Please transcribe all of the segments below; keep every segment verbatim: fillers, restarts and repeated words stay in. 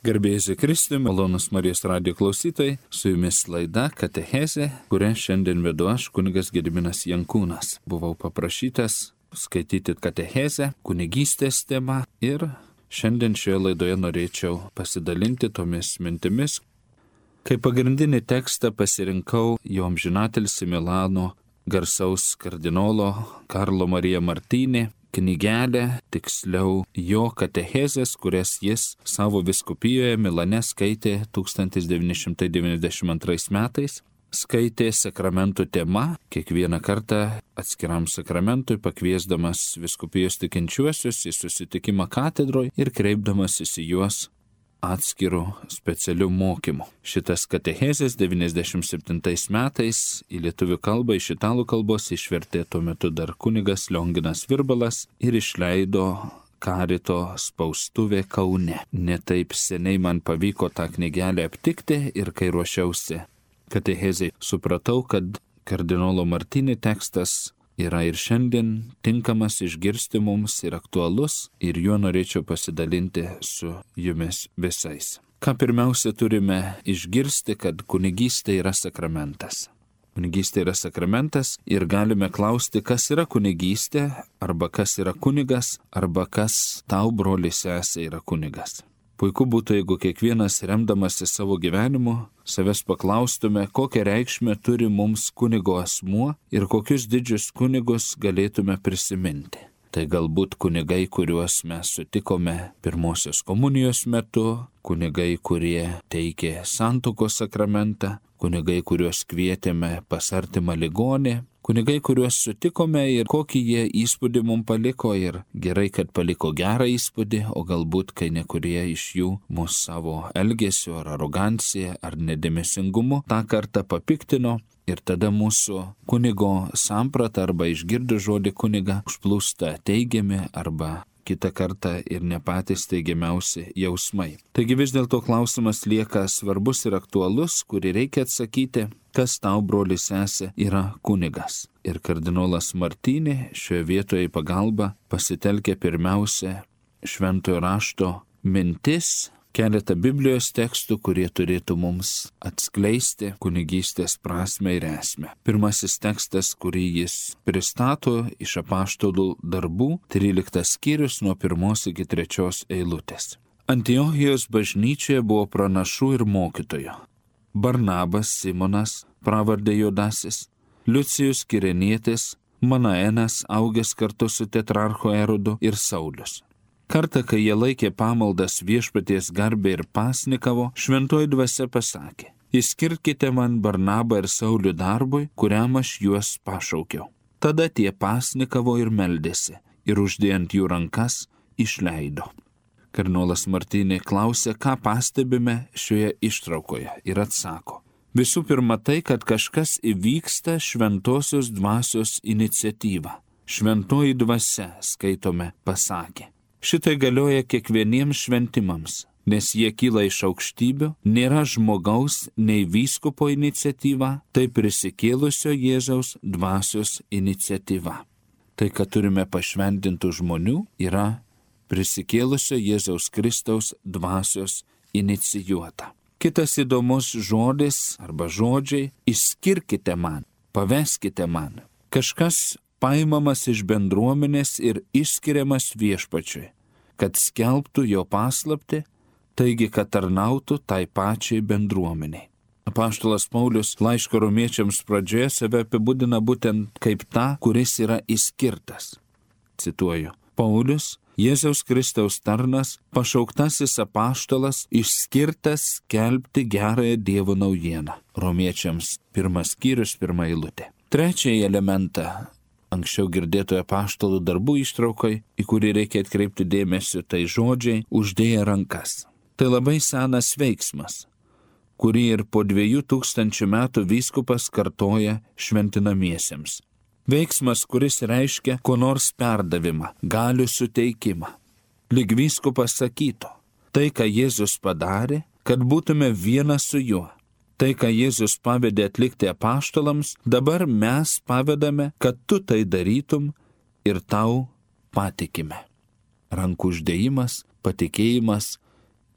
Garbėjai Kristui, malonus Marijos radijo klausytojai, su jumis laida Katechezė, kurią šiandien vedu aš, kunigas Gediminas Jankūnas. Buvau paprašytas skaityti Katechezę, kunigystės temą ir šiandien šioje laidoje norėčiau pasidalinti tomis mintimis. Kaip pagrindinį tekstą pasirinkau jo amžinatilsį Milano garsaus kardinolo Karlo Marija Martini knygelę, tiksliau jo katechezės, kurias jis savo vyskupijoje Milane skaitė tūkstantis devyni šimtai devyniasdešimt antrais metais. Skaitė sakramentų tema, kiekvieną kartą atskiram sakramentui pakviesdamas vyskupijos tikinčiuosius į susitikimą katedroje ir kreipdamasis į juos atskirų specialių mokymų. Šitas katechezės devyniasdešimt septintais metais į lietuvių kalbą iš italų kalbos išvertė tuo metu dar kunigas Lionginas Virbalas ir išleido Karito spaustuvė Kaune. Netaip seniai man pavyko tą knygelę aptikti ir kai ruošiausi katechezei, supratau, kad kardinolo Martini tekstas yra ir šiandien tinkamas išgirsti mums ir aktualus, ir juo norėčiau pasidalinti su jumis visais. Ką pirmiausia turime išgirsti, kad kunigystė yra sakramentas. Kunigystė yra sakramentas ir galime klausti, kas yra kunigystė, arba kas yra kunigas, arba kas tau, broli sesė, yra kunigas. Puiku būtų, jeigu kiekvienas remdamasi savo gyvenimu savęs paklaustume, kokią reikšmę turi mums kunigo asmuo ir kokius didžius kunigus galėtume prisiminti. Tai galbūt kunigai, kuriuos mes sutikome pirmosios komunijos metu, kunigai, kurie teikė santuokos sakramentą, kunigai, kuriuos kvietėme pas artimą ligonį, kunigai, kuriuos sutikome ir kokį jie įspūdį mums paliko ir gerai, kad paliko gerą įspūdį, o galbūt, kai nekurie iš jų mūsų savo elgesiu ar arogancija ar nedėmesingumu tą kartą papiktino ir tada mūsų kunigo samprata arba išgirdus žodį kuniga užplūsta teigiami arba kitą kartą ir ne patys teigiamiausi jausmai. Taigi vis dėlto klausimas lieka svarbus ir aktualus, kurį reikia atsakyti, kas tau, broli sesė, yra kunigas. Ir kardinolas Martini šioje vietoje į pagalbą pasitelkia pirmiausia šventojo rašto mintis, keletą Biblijos tekstų, kurie turėtų mums atskleisti kunigystės prasmę ir esmę. Pirmasis tekstas, kurį jis pristato iš apaštalų darbų, tryliktas skyrius nuo pirmos iki trečios eilutės. Antiochijos bažnyčioje buvo pranašų ir mokytojų. Barnabas, Simonas, pravardė Judasis, Liucijus Kirenietis, Manaenas, augęs kartu su tetrarcho Erodu, ir Saulius. Kartą, kai jie laikė pamaldas viešpaties garbę ir pasnikavo, šventoji dvasia pasakė: Išskirkite man Barnabą ir Saulių darbui, kuriam aš juos pašaukiau. Tada tie pasnikavo ir meldėsi, ir uždėjant jų rankas išleido. Kardinolas Martini klausė, ką pastebime šioje ištraukoje, ir atsako: Visų pirma tai, kad kažkas įvyksta šventosios dvasios iniciatyva. Šventoji dvasia, skaitome, pasakė. Šitai galioja kiekvieniems šventimams, nes jie kyla iš aukštybių, nėra žmogaus nei vyskupo iniciatyva, tai prisikėlusio Jėzaus dvasios iniciatyva. Tai, kad turime pašventintų žmonių, yra prisikėlusio Jėzaus Kristaus dvasios inicijuota. Kitas įdomus žodis arba žodžiai – išskirkite man, paveskite man. Kažkas paimamas iš bendruomenės ir išskiriamas viešpačiui, kad skelbtų jo paslaptį, taigi, kad tarnautų tai pačiai bendruomeniai. Apaštalas Paulius laiško romiečiams pradžioje save apibūdina būtent kaip tą, kuris yra išskirtas. Cituoju: Paulius, Jėzaus Kristaus tarnas, pašauktasis apaštalas, išskirtas skelbti gerąją Dievo naujieną. Romiečiams pirmas skyrius, pirma eilutė. Trečiąjį elementą anksčiau girdėtoje apaštalų darbų ištraukai, į kurį reikia atkreipti dėmesį, tai žodžiai uždėję rankas. Tai labai senas veiksmas, kurį ir po dviejų tūkstančių metų vyskupas kartoja šventinamiesiems. Veiksmas, kuris reiškia ko nors perdavimą, galių suteikimą. Lyg vyskupas sakytų, tai, ką Jėzus padarė, kad būtume vienas su juo. Tai, ką Jėzus pavedė atlikti apaštalams, dabar mes pavedame, kad tu tai darytum ir tau patikime. Rankų uždėjimas, patikėjimas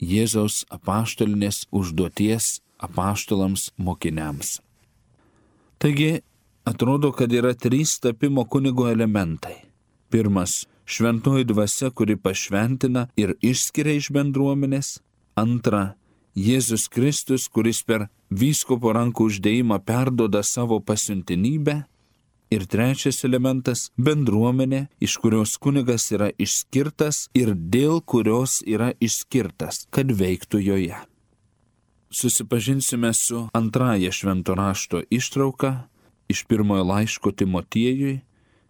Jėzaus apaštalinės užduoties apaštalams mokiniams. Taigi, atrodo, kad yra trys tapimo kunigo elementai. Pirmas – šventoji dvasia, kuri pašventina ir išskiria iš bendruomenės. Antra – Jėzus Kristus, kuris per vyskupo rankų uždėjimą perduoda savo pasiuntinybę. Ir trečias elementas – bendruomenė, iš kurios kunigas yra išskirtas ir dėl kurios yra išskirtas, kad veiktų joje. Susipažinsime su antraja švento rašto ištrauka iš pirmojo laiško Timotiejui,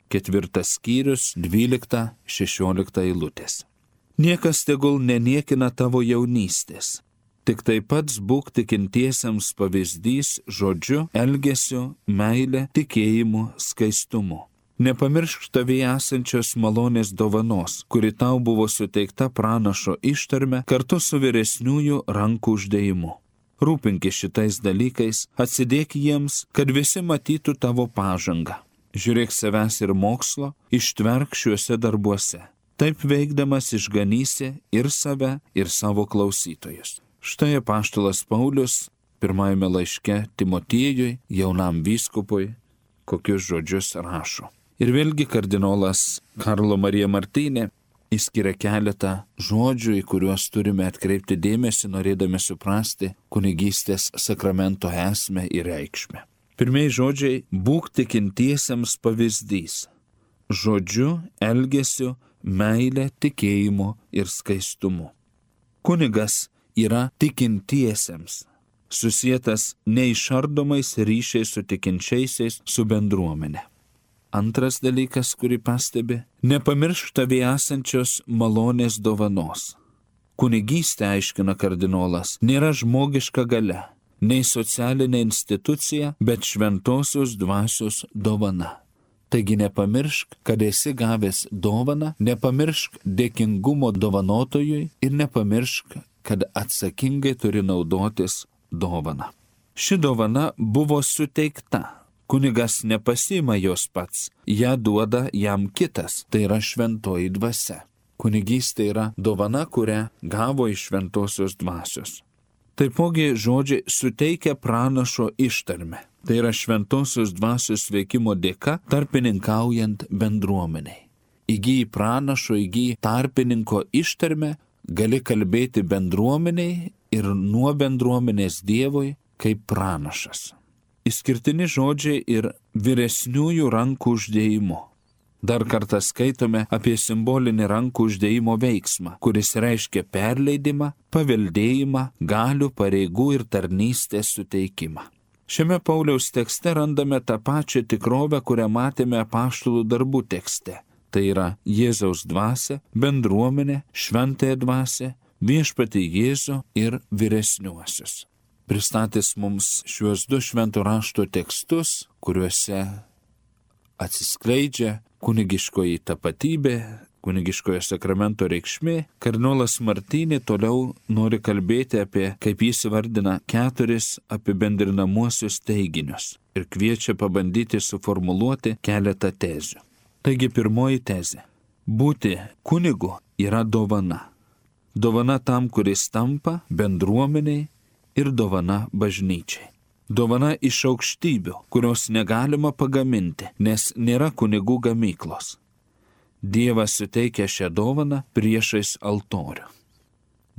ketvirtas skyrius, dvylikta, šešiolikta eilutės. Niekas tegul neniekina tavo jaunystės. Tik taip pats būk tikintiesiems pavyzdys žodžiu, elgesiu, meile, tikėjimu, skaistumu. Nepamiršk tavyje esančios malonės dovanos, kuri tau buvo suteikta pranašo ištarme kartu su vyresniųjų rankų uždėjimu. Rūpinkis šitais dalykais, atsidėk jiems, kad visi matytų tavo pažangą. Žiūrėk savęs ir mokslo, ištverk šiuose darbuose. Taip veikdamas išganysi ir save, ir savo klausytojus. Štai apaštalas Paulius pirmajame laiške Timotiejui, jaunam vyskupui, kokius žodžius rašo. Ir vėlgi kardinolas Karlo Marija Martynė išskiria keletą žodžių, į kuriuos turime atkreipti dėmesį, norėdami suprasti kunigystės sakramento esmę ir reikšmę. Pirmieji žodžiai – būk tikintiesiems pavyzdys. Žodžiu, elgesiu, meile, tikėjimu ir skaistumu. Kunigas yra tikintiesiems, susietas neišardomais ryšiais su tikinčiaisiais, su bendruomenė. Antras dalykas, kurį pastebi, nepamiršk tavyje esančios malonės dovanos. Kunigystė, aiškina kardinolas, nėra žmogiška galia, nei socialinė institucija, bet šventosios dvasios dovana. Taigi nepamiršk, kad esi gavęs dovaną, nepamiršk dėkingumo dovanotojui ir nepamiršk, kad atsakingai turi naudotis dovana. Ši dovana buvo suteikta. Kunigas nepasiima jos pats, ją duoda jam kitas, tai yra šventoji dvasia. Kunigystė yra dovana, kurią gavo iš šventosios dvasios. Taipogi žodžiai suteikia pranašo ištarmę. Tai yra šventosios dvasios veikimo dėka tarpininkaujant bendruomeniai. Įgyji pranašo, įgyji tarpininko ištarmę, gali kalbėti bendruomeniai ir nuo bendruomenės Dievui kaip pranašas. Išskirtini žodžiai ir vyresniųjų rankų uždėjimu. Dar kartą skaitome apie simbolinį rankų uždėjimo veiksmą, kuris reiškia perleidimą, paveldėjimą, galių, pareigų ir tarnystės suteikimą. Šiame Pauliaus tekste randame tą pačią tikrovę, kurią matėme apaštalų darbų tekste. Tai yra Jėzaus dvasia, bendruomenė, šventąją dvasią, viešpatį Jėzų ir vyresniuosius. Pristatys mums šiuos du švento rašto tekstus, kuriuose atsiskleidžia kunigiškoji tapatybė, kunigiškojo sakramento reikšmė, kardinolas Martynė toliau nori kalbėti apie, kaip jis vardina, keturis apibendrinamuosius teiginius ir kviečia pabandyti suformuluoti keletą tezių. Taigi pirmoji tezė. Būti kunigu yra dovana. Dovana tam, kuris tampa bendruomeniai ir dovana bažnyčiai. Dovana iš aukštybių, kurios negalima pagaminti, nes nėra kunigų gamyklos. Dievas suteikia šią dovaną priešais altorių.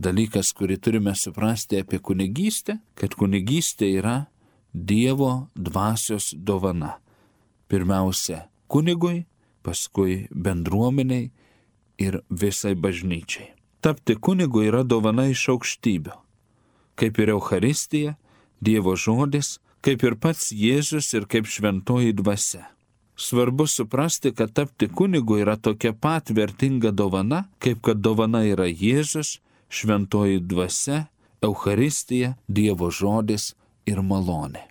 Dalykas, kurį turime suprasti apie kunigystę, kad kunigystė yra Dievo dvasios dovana. Pirmiausia kunigui, paskui bendruomeniai ir visai bažnyčiai. Tapti kunigu yra dovana iš aukštybių. Kaip ir Eucharistija, Dievo žodis, kaip ir pats Jėzus ir kaip šventoji dvasia. Svarbu suprasti, kad tapti kunigu yra tokia pat vertinga dovana, kaip kad dovana yra Jėzus, šventoji dvasia, Eucharistija, Dievo žodis ir malonė.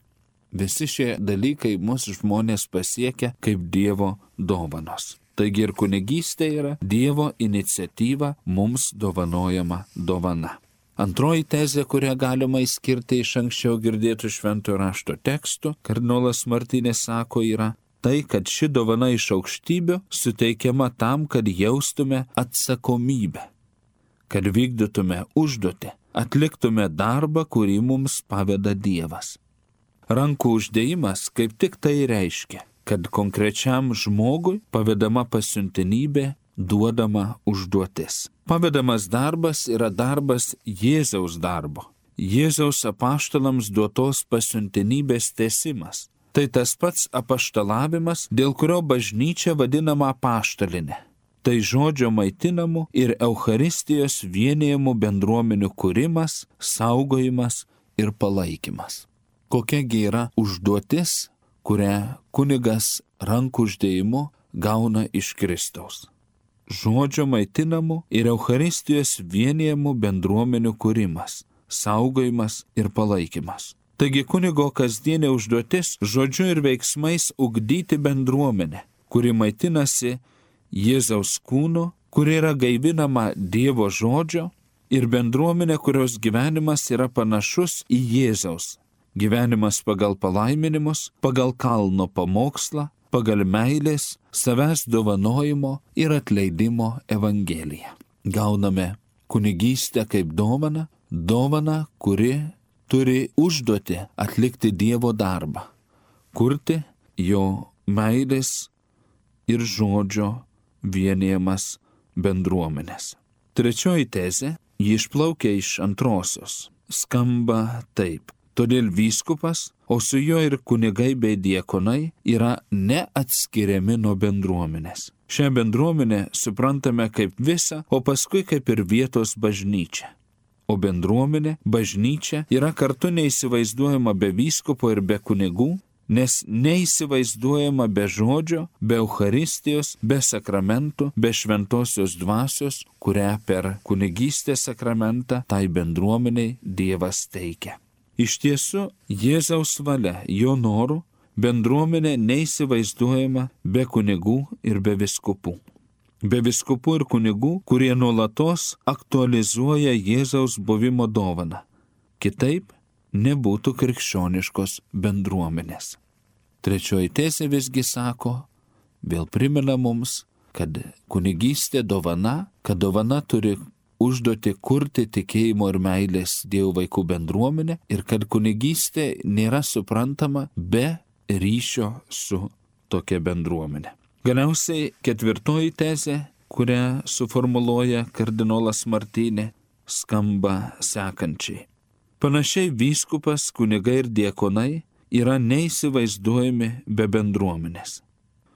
Visi šie dalykai mūsų žmonės pasiekia kaip Dievo dovanos. Taigi ir kunigystė yra Dievo iniciatyva mums dovanojama dovana. Antroji tezė, kurią galima įskirti iš anksčiau girdėtų šventojo rašto tekstų, kardinolas Martynė sako, yra tai, kad ši dovana iš aukštybių suteikiama tam, kad jaustume atsakomybę. kad vykdytume užduotį, atliktume darbą, kurį mums paveda Dievas. Rankų uždėjimas kaip tik tai reiškia, kad konkrečiam žmogui pavedama pasiuntinybė, duodama užduotis. Pavedamas darbas yra darbas Jėzaus darbo. Jėzaus apaštalams duotos pasiuntinybės tęsimas. Tai tas pats apaštalavimas, dėl kurio bažnyčia vadinama apaštalinė. Tai žodžio maitinamų ir Eucharistijos vienijamų bendruomenių kūrimas, saugojimas ir palaikymas. Kokiagi yra užduotis, kurią kunigas rankų uždėjimu gauna iš Kristaus? Žodžio maitinamų ir Eucharistijos vienijamų bendruomenių kūrimas, saugojimas ir palaikymas. Taigi kunigo kasdienė užduotis žodžiu ir veiksmais ugdyti bendruomenę, kuri maitinasi Jėzaus kūnu, kuri yra gaivinama Dievo žodžio, ir bendruomenė, kurios gyvenimas yra panašus į Jėzaus. Gyvenimas pagal palaiminimus, pagal kalno pamokslą, pagal meilės, savęs dovanojimo ir atleidimo evangeliją. Gauname kunigystę kaip dovaną, dovaną, kuri turi užduotį atlikti Dievo darbą, kurti jo meilės ir žodžio vienijamas bendruomenės. Trečioji tezė, ji išplaukia iš antrosios, skamba taip. Todėl vyskupas, o su juo ir kunigai bei diakonai yra neatskiriami nuo bendruomenės. Šią bendruomenę suprantame kaip visą, o paskui kaip ir vietos bažnyčią. O bendruomenė, bažnyčia yra kartu neįsivaizduojama be vyskupo ir be kunigų, nes neįsivaizduojama be žodžio, be Eucharistijos, be sakramentų, be šventosios dvasios, kurią per kunigystės sakramentą tai bendruomeniai Dievas teikia. Iš tiesų, Jėzaus valia, jo norų, bendruomenė neįsivaizduojama be kunigų ir be vyskupų. Be vyskupų ir kunigų, kurie nuolatos aktualizuoja Jėzaus buvimo dovaną. Kitaip nebūtų krikščioniškos bendruomenės. Trečioji tezė visgi sako, vėl primena mums, kad kunigystė dovana, kad dovana turi užduoti kurti tikėjimo ir meilės Dievo vaikų bendruomenę ir kad kunigystė nėra suprantama be ryšio su tokia bendruomenė. Galiausiai ketvirtoji tezė, kurią suformuluoja kardinolas Martynė, skamba sekančiai. Panašiai vyskupas, kunigai ir diakonai yra neįsivaizduojami be bendruomenės.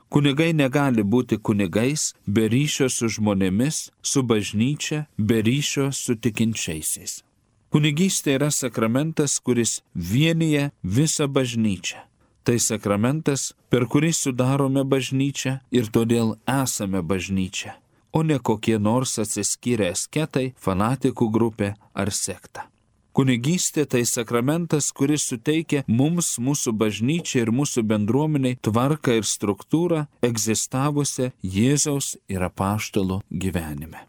Kunigai negali būti kunigais be ryšio su žmonėmis, su bažnyčia, be ryšio su tikinčiaisiais. Kunigystė yra sakramentas, kuris vienyje visą bažnyčią. Tai sakramentas, per kurį sudarome bažnyčią ir todėl esame bažnyčia, o ne kokie nors atsiskyrę asketai, fanatikų grupė ar sekta. Kunigystė tai sakramentas, kuris suteikia mums, mūsų bažnyčiai ir mūsų bendruomeniai tvarką ir struktūrą egzistavusią Jėzaus ir apaštalų gyvenime.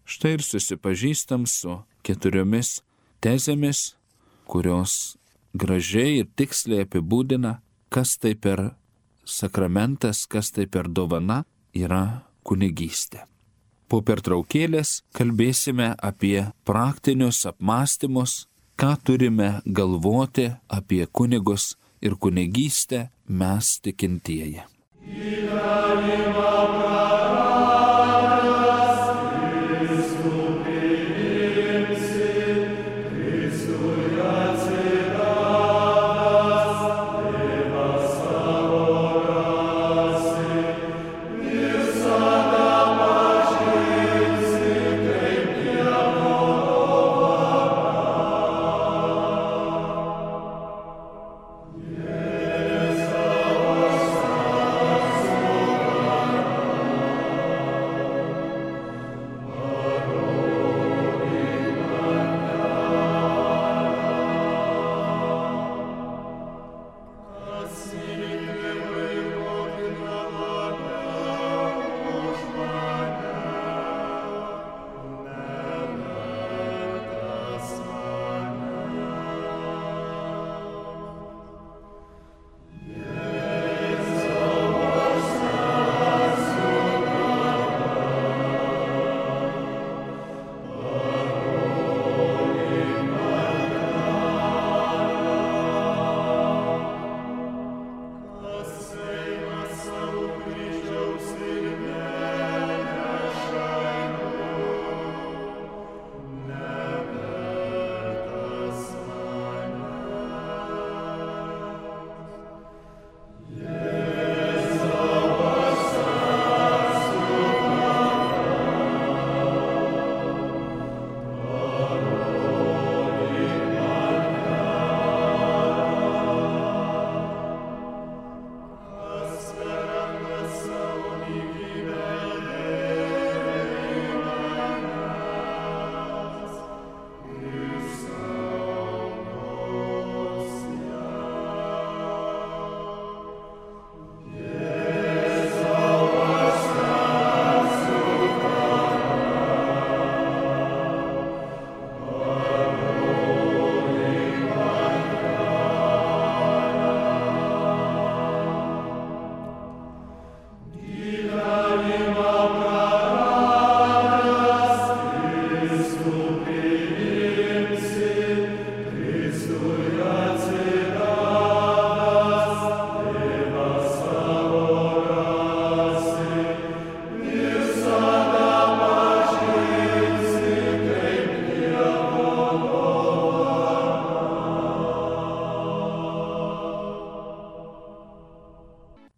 Štai ir susipažįstam su keturiomis tezėmis, kurios gražiai ir tiksliai apibūdina, kas tai per sakramentas, kas tai per dovana yra kunigystė. Po pertraukėlės kalbėsime apie praktinius apmąstymus, ką turime galvoti apie kunigus ir kunigystę mes tikintieji. Yes,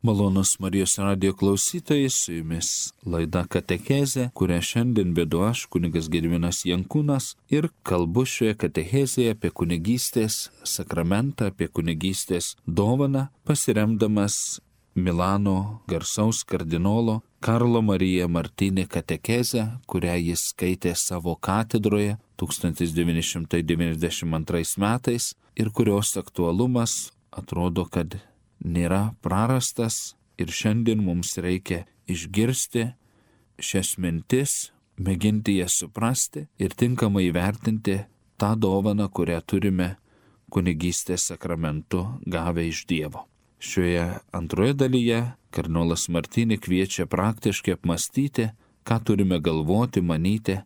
Malonus Marijos radijo klausytojai, su jumis laida Katechezė, kurią šiandien vedu aš, kunigas Gediminas Jankūnas, ir kalbu šioje katechezėje apie kunigystės sakramentą, apie kunigystės dovaną, pasiremdamas Milano garsaus kardinolo Karlo Marija Martini katechezę, kurią jis skaitė savo katedroje tūkstantis devyni šimtai devyniasdešimt antrais metais ir kurios aktualumas atrodo, kad nėra prarastas ir šiandien mums reikia išgirsti šias mintis, mėginti jas suprasti ir tinkamai įvertinti tą dovaną, kurią turime kunigystės sakramentu gavę iš Dievo. Šioje antroje dalyje kardinolas Martini kviečia praktiškai apmastyti, ką turime galvoti, manyti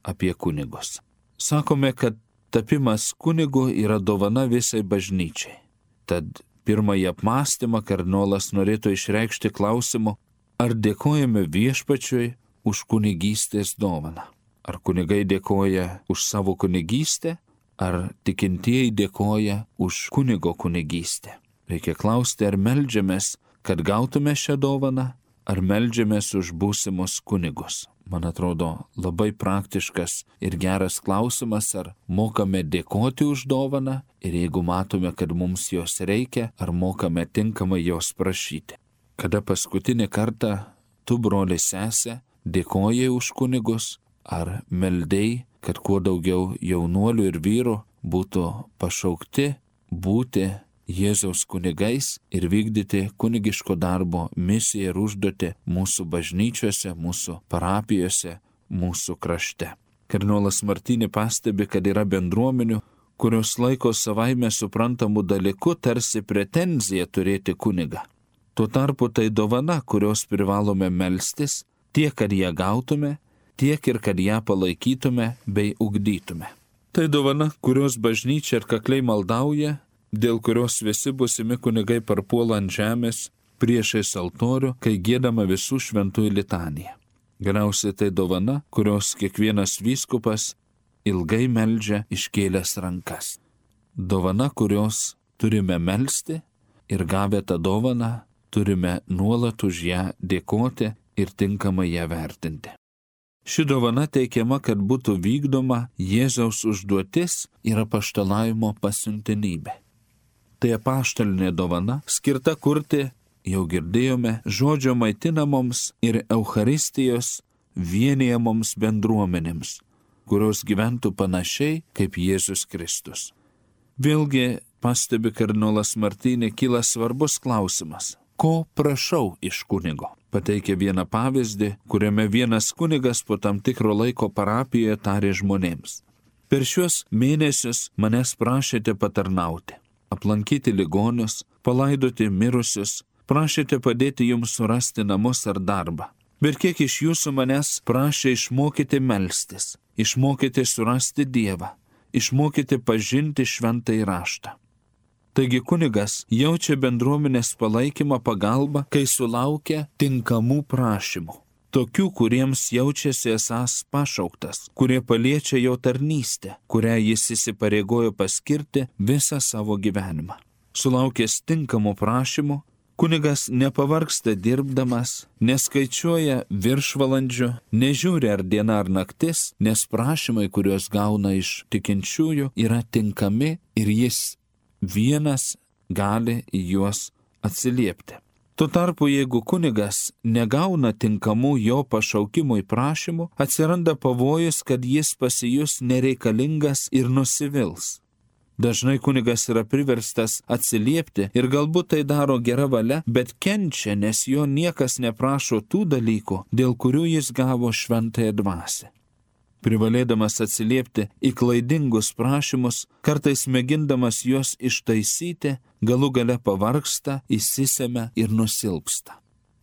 apie kunigus. Sakome, kad tapimas kunigu yra dovana visai bažnyčiai. Tad pirmąjį apmąstymą kardinolas norėtų išreikšti klausimu, ar dėkojame viešpačiui už kunigystės dovaną. Ar kunigai dėkoja už savo kunigystę, ar tikintieji dėkoja už kunigo kunigystę. Reikia klausti, ar meldžiamės, kad gautume šią dovaną, ar meldžiamės už būsimus kunigus. Man atrodo labai praktiškas ir geras klausimas, ar mokame dėkoti už dovaną ir jeigu matome, kad mums jos reikia, ar mokame tinkamai jos prašyti. Kada paskutinį kartą tu, broli sesė, dėkojai už kunigus, ar meldei, kad kuo daugiau jaunuolių ir vyrų būtų pašaukti būti Jėzaus kunigais ir vykdyti kunigiško darbo misiją ir užduotį mūsų bažnyčiose, mūsų parapijose, mūsų krašte. Kardinolas Martini pastebi, kad yra bendruomenių, kurios laiko savaime suprantamų dalykų tarsi pretenziją turėti kunigą. Tuo tarpu tai dovana, kurios privalome melstis, tiek, kad ją gautume, tiek ir kad ją palaikytume bei ugdytume. Tai dovana, kurios bažnyčia ir kakliai maldauja, dėl kurios visi būsimi kunigai parpuola ant žemės priešais altorių, kai giedama visų šventųjų litanija. Galiausiai tai dovana, kurios kiekvienas vyskupas ilgai meldžia iškėlęs rankas. Dovana, kurios turime melsti ir gavę tą dovaną, turime nuolat už ją dėkoti ir tinkamai ją vertinti. Ši dovana teikiama, kad būtų vykdoma Jėzaus užduotis ir apaštalavimo pasiuntinybė. Tai apaštalinė dovana, skirta kurti, jau girdėjome, žodžio maitinamoms ir Eucharistijos vienijamoms bendruomenėms, kurios gyventų panašiai kaip Jėzus Kristus. Vėlgi, pastebi kardinolas Martini, kyla svarbus klausimas. Ko prašau iš kunigo? Pateikia vieną pavyzdį, kuriame vienas kunigas po tam tikro laiko parapijoje tarė žmonėms. Per šiuos mėnesius manęs prašėte patarnauti. Aplankyti ligonius, palaidoti mirusius, prašėte padėti jums surasti namus ar darbą. Bet kiek iš jūsų manęs prašė išmokyti melstis, išmokyti surasti Dievą, išmokyti pažinti šventąjį raštą. Taigi kunigas jaučia bendruomenės palaikymą pagalbą, kai sulaukia tinkamų prašymų. Tokių, kuriems jaučiasi esąs pašauktas, kurie paliečia jo tarnystę, kurią jis įsipareigojo paskirti visą savo gyvenimą. Sulaukęs tinkamų prašymų, kunigas nepavargsta dirbdamas, neskaičiuoja viršvalandžių, nežiūri ar diena ar naktis, nes prašymai, kuriuos gauna iš tikinčiųjų, yra tinkami ir jis vienas gali į juos atsiliepti. Tuo tarpu, jeigu kunigas negauna tinkamų jo pašaukimui prašymų, atsiranda pavojus, kad jis pasijus nereikalingas ir nusivils. Dažnai kunigas yra priverstas atsiliepti ir galbūt tai daro gera valia, bet kenčia, nes jo niekas neprašo tų dalykų, dėl kurių jis gavo šventąją dvasią. Privalėdamas atsiliepti į klaidingus prašymus, kartais mėgindamas juos ištaisyti, galų gale pavargsta, įsisemia ir nusilpsta.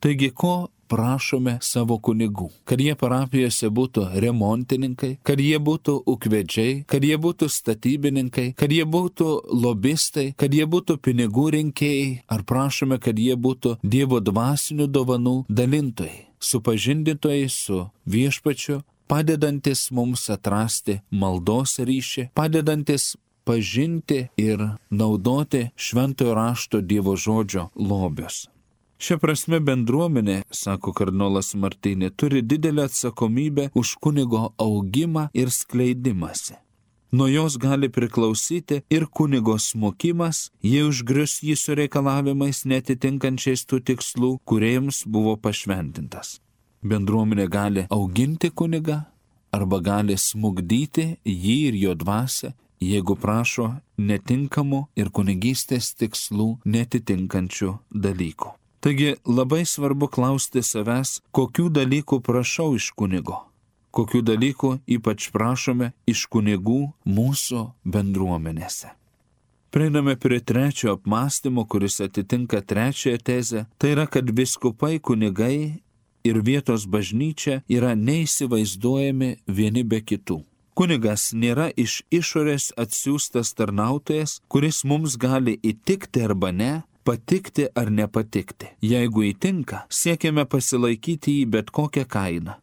Taigi, ko prašome savo kunigų? Kad jie parapijose būtų remontininkai, kad jie būtų ūkvedžiai, kad jie būtų statybininkai, kad jie būtų lobistai, kad jie būtų pinigų rinkėjai, ar prašome, kad jie būtų Dievo dvasinių dovanų dalintojai, supažindintojai su viešpačiu, padedantis mums atrasti maldos ryšį, padedantis pažinti ir naudoti šventojo rašto Dievo žodžio lobius. Šia prasme bendruomenė, sako kardinolas Martinė, turi didelę atsakomybę už kunigo augimą ir skleidimąsi. Nuo jos gali priklausyti ir kunigo smokimas, jei užgrius jį su reikalavimais netitinkančiais tų tikslų, kuriems buvo pašventintas. Bendruomenė gali auginti kunigą arba gali smugdyti jį ir jo dvasią, jeigu prašo netinkamų ir kunigystės tikslų netitinkančių dalykų. Taigi labai svarbu klausti savęs, kokių dalykų prašau iš kunigo, kokių dalykų ypač prašome iš kunigų mūsų bendruomenėse. Prieiname prie trečio apmąstymo, kuris atitinka trečiąją tezę, tai yra, kad vyskupai, kunigai ir vietos bažnyčia yra neįsivaizduojami vieni be kitų. Kunigas nėra iš išorės atsiųstas tarnautojas, kuris mums gali įtikti arba ne, patikti ar nepatikti. Jeigu įtinka, siekiame pasilaikyti jį bet kokią kainą.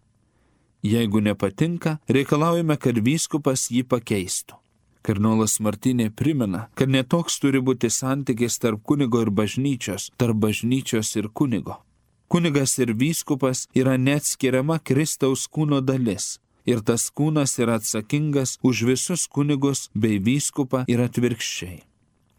Jeigu nepatinka, reikalaujame, kad vyskupas jį pakeistų. Kardinolas Martinė primena, kad netoks turi būti santykis tarp kunigo ir bažnyčios, tarp bažnyčios ir kunigo. Kunigas ir vyskupas yra neatskiriama Kristaus kūno dalis. Ir tas kūnas yra atsakingas už visus kunigus bei vyskupą ir atvirkščiai.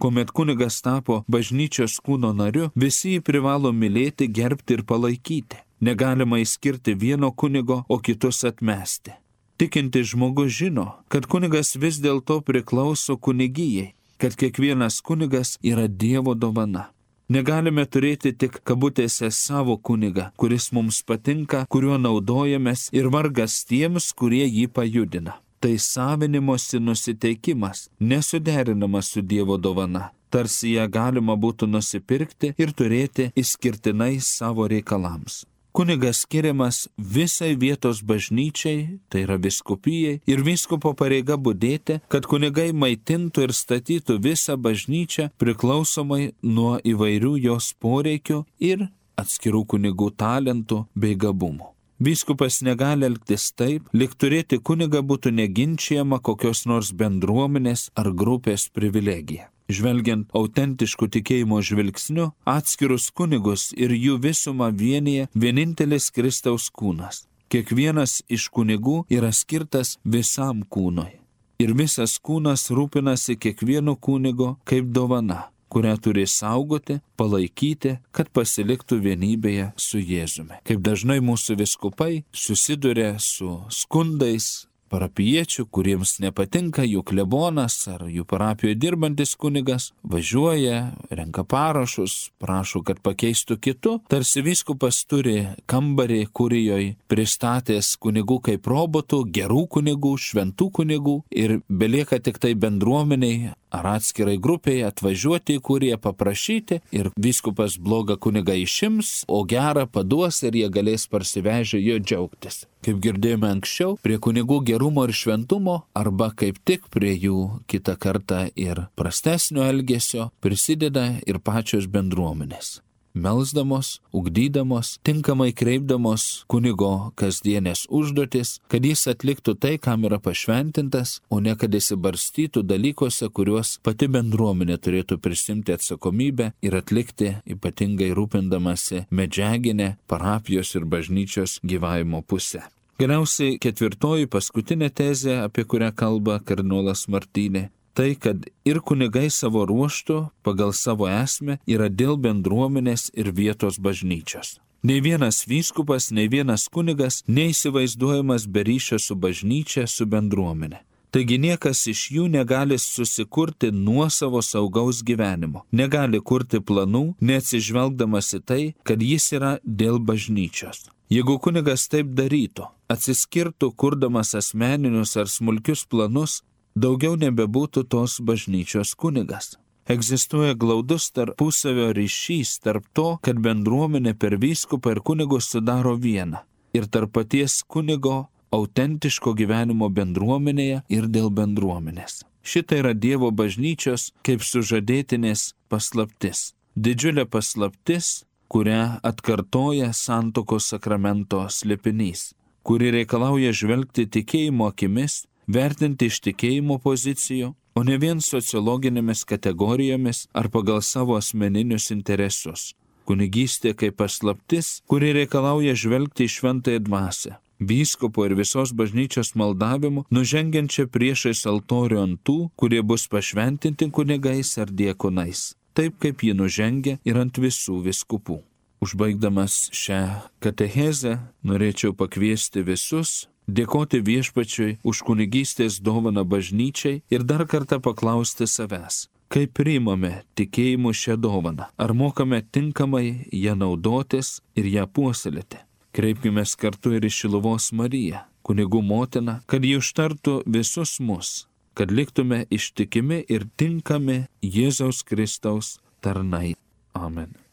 Kuomet kunigas tapo bažnyčios kūno nariu, visi jį privalo mylėti, gerbti ir palaikyti. Negalima įskirti vieno kunigo, o kitus atmesti. Tikintis žmogus žino, kad kunigas vis dėlto priklauso kunigijai, kad kiekvienas kunigas yra Dievo dovana. Negalime turėti tik kabutėse savo kunigą, kuris mums patinka, kuriuo naudojamės, ir vargas tiems, kurie jį pajudina. Tai savinimosi nusiteikimas, nesuderinamas su Dievo dovana, tarsi ją galima būtų nusipirkti ir turėti išskirtinai savo reikalams. Kunigas skiriamas visai vietos bažnyčiai, tai yra vyskupijai, ir vyskupo pareiga budėti, kad kunigai maitintų ir statytų visą bažnyčią priklausomai nuo įvairių jos poreikių ir atskirų kunigų talentų bei gabumų. Vyskupas negali elgtis taip, lyg turėti kunigą būtų neginčiama kokios nors bendruomenės ar grupės privilegija. Žvelgiant autentiškų tikėjimo žvilgsniu, atskirus kunigus ir jų visumą vienyje vienintelis Kristaus kūnas. Kiekvienas iš kunigų yra skirtas visam kūnui. Ir visas kūnas rūpinasi kiekvienu kunigu kaip dovana, kurią turi saugoti, palaikyti, kad pasiliktų vienybėje su Jėzumi. Kaip dažnai mūsų vyskupai susiduria su skundais parapiečių, kuriems nepatinka jų klebonas ar jų parapijoje dirbantis kunigas, važiuoja, renka parašus, prašo, kad pakeistų kitu. Tarsi vyskupas turi kambarį kurijoje pristatęs kunigų kaip robotų, gerų kunigų, šventų kunigų ir belieka tik tai bendruomeniai ar atskirai grupiai atvažiuoti į kuriją paprašyti ir vyskupas blogą kunigą išims, o gerą paduos ir jie galės parsivežę jo džiaugtis. Kaip girdėjome anksčiau, prie kunigų gerumo ir šventumo arba kaip tik prie jų kitą kartą ir prastesnio elgesio prisideda ir pačios bendruomenės. Melsdamos, ugdydamos, tinkamai kreipdamos kunigo kasdienės užduotis, kad jis atliktų tai, kam yra pašventintas, o ne kad įsibarstytų dalykuose, kuriuos pati bendruomenė turėtų prisimti atsakomybę ir atlikti, ypatingai rūpindamasi medžiaginę parapijos ir bažnyčios gyvavimo pusę. Galiausiai ketvirtoji paskutinė tezė, apie kurią kalba kardinolas Martinė, tai, kad ir kunigai savo ruoštų pagal savo esmę yra dėl bendruomenės ir vietos bažnyčios. Nei vienas vyskupas, nei vienas kunigas neįsivaizduojamas be ryšio su bažnyčia, su bendruomenė. Taigi niekas iš jų negali susikurti nuosavo saugaus gyvenimo, negali kurti planų, neatsižvelgdamas į tai, kad jis yra dėl bažnyčios. Jeigu kunigas taip darytų, atsiskirtų kurdamas asmeninius ar smulkius planus, daugiau nebebūtų tos bažnyčios kunigas. Egzistuoja glaudus tarpusavio ryšys tarp to, kad bendruomenė per vyskupą ir kunigus sudaro vieną, ir tarp paties kunigo autentiško gyvenimo bendruomenėje ir dėl bendruomenės. Šitai yra Dievo bažnyčios kaip sužadėtinės paslaptis. Didžiulė paslaptis, kurią atkartoja santuokos sakramento slėpinys, kuri reikalauja žvelgti tikėjimo akimis, vertinti iš tikėjimo pozicijų, o ne vien sociologinėmis kategorijomis ar pagal savo asmeninius interesus. Kunigystė kaip paslaptis, kuri reikalauja žvelgti į šventąją dvasią. Vyskupo ir visos bažnyčios maldavimu, nužengiančią priešais altorių ant tų, kurie bus pašventinti kunigais ar diekonais, taip kaip ji nužengia ir ant visų vyskupų. Užbaigdamas šią katechezę, norėčiau pakviesti visus, dėkoti Viešpačiui už kunigystės dovaną bažnyčiai ir dar kartą paklausti savęs, kaip priimame tikėjimu šią dovaną, ar mokame tinkamai ją naudotis ir ją puoselėti. Kreipkimės kartu ir į Šiluvos Mariją, kunigų motiną, kad ji užtartų visus mus, kad liktume ištikimi ir tinkami Jėzaus Kristaus tarnai. Amen.